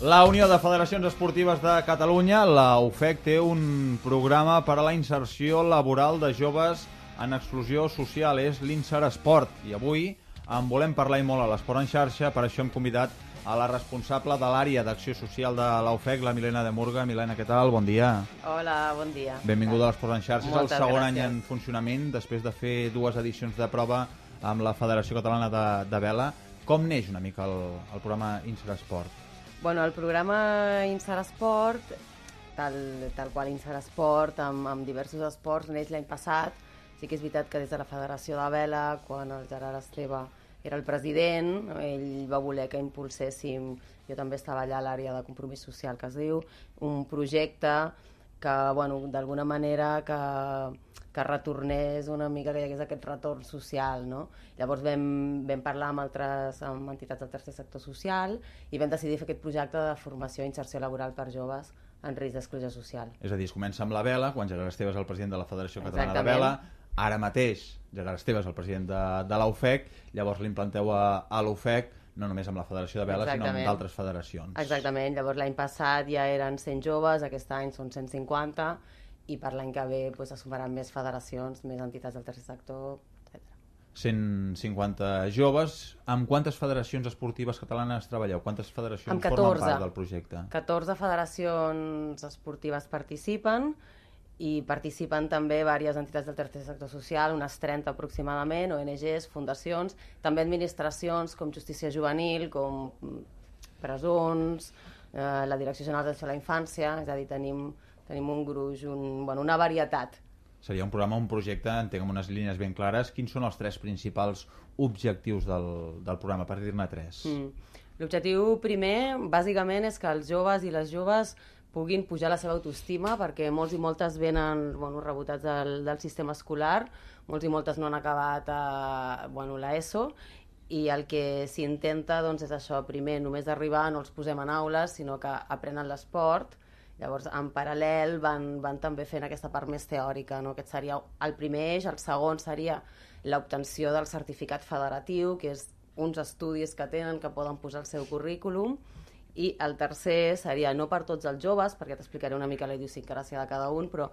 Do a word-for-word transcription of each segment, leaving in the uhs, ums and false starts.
La Unió de Federacions Esportives de Catalunya, la U F E C, té un programa per a la inserció laboral de joves en exclusió social, és l'Inseresport. I avui en volem parlar i molt a l'Esport en xarxa, per això hem convidat a la responsable de l'àrea d'acció social de la U F E C, la Milena de Murga. Milena, què tal? Bon dia. Hola, bon dia. Benvinguda a l'Esport en xarxa. És el segon gràcies. any en funcionament, després de fer dues edicions de prova amb la Federació Catalana de, de Vela. Com neix una mica el, el programa Inseresport? Bueno, el programa Inseresport, tal, tal qual Inseresport, amb, amb diversos esports, neix l'any passat. Sí que és veritat que des de la Federació de Vela, quan el Gerard Esteve era el president, ell va voler que impulséssim, jo també estava allà a l'àrea de compromís social, que es diu, un projecte que, bueno, d'alguna manera que, que retornés una mica, que hi hagués aquest retorn social, no? Llavors vam, vam parlar amb altres amb entitats del tercer sector social i vam decidir fer aquest projecte de formació i inserció laboral per joves en risc d'exclusió social. És a dir, es comença amb la Vela, quan Gerard Esteve és el president de la Federació Catalana Exactament. de Vela. Ara mateix Gerard Esteve és el president de, de la U F E C, llavors l'implanteu a, a la U F E C, no només amb la Federació de Vela, Exactament. sinó amb d'altres federacions. Exactament, llavors l'any passat ja eren cent joves, aquest any són cent cinquanta, i per l'any que ve doncs, es sumaran més federacions, més entitats del tercer sector, etcètera. cent cinquanta joves. Amb quantes federacions esportives catalanes treballeu? Quantes federacions Amb formen catorze. part del projecte? catorze federacions esportives participen, i participen també diverses entitats del tercer sector social, unes trenta aproximadament, O N Ges, fundacions, també administracions com Justícia Juvenil, com presons, eh, la Direcció General d'Atenció a la Infància, és a dir, tenim, tenim un gruix, un, bueno, una varietat. Seria un programa, un projecte, entenc, amb unes línies ben clares. Quins són els tres principals objectius del, del programa, per dir-ne tres? Mm. L'objectiu primer, bàsicament, és que els joves i les joves puguin pujar la seva autoestima, perquè molts i moltes venen, bueno, rebotats del, del sistema escolar, molts i moltes no han acabat a, bueno, l'ESO, i el que s'intenta doncs, és això, primer, només arribar, no els posem en aules, sinó que aprenen l'esport. Llavors, en paral·lel, van, van també fent aquesta part més teòrica, no? Aquest seria el primer eix. El segon seria l'obtenció del certificat federatiu, que és uns estudis que tenen que poden posar al seu currículum. I el tercer seria, no per tots els joves, perquè t'explicaré una mica la idiosincràsia de cada un, però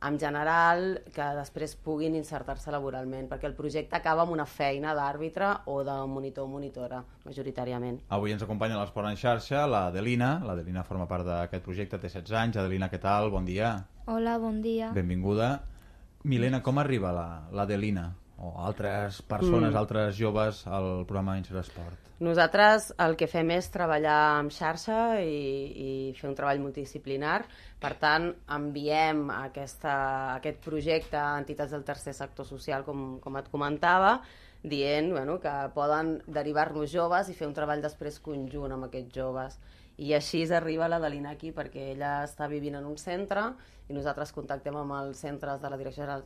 en general que després puguin insertar-se laboralment, perquè el projecte acaba amb una feina d'àrbitre o de monitor o monitora, majoritàriament. Avui ens acompanya a l'Esport en xarxa l'Adelina. L'Adelina forma part d'aquest projecte, té setze anys. Adelina, què tal? Bon dia. Hola, bon dia. Benvinguda. Milena, com arriba l'Adelina o altres persones, mm. altres joves al programa Inseresport? Nosaltres el que fem és treballar en xarxa i, i fer un treball multidisciplinar. Per tant, enviem aquesta, aquest projecte a entitats del tercer sector social, com, com et comentava, dient bueno, que poden derivar-nos joves i fer un treball després conjunt amb aquests joves. I així arriba l'Adelina aquí, perquè ella està vivint en un centre i nosaltres contactem amb els centres de la Direcció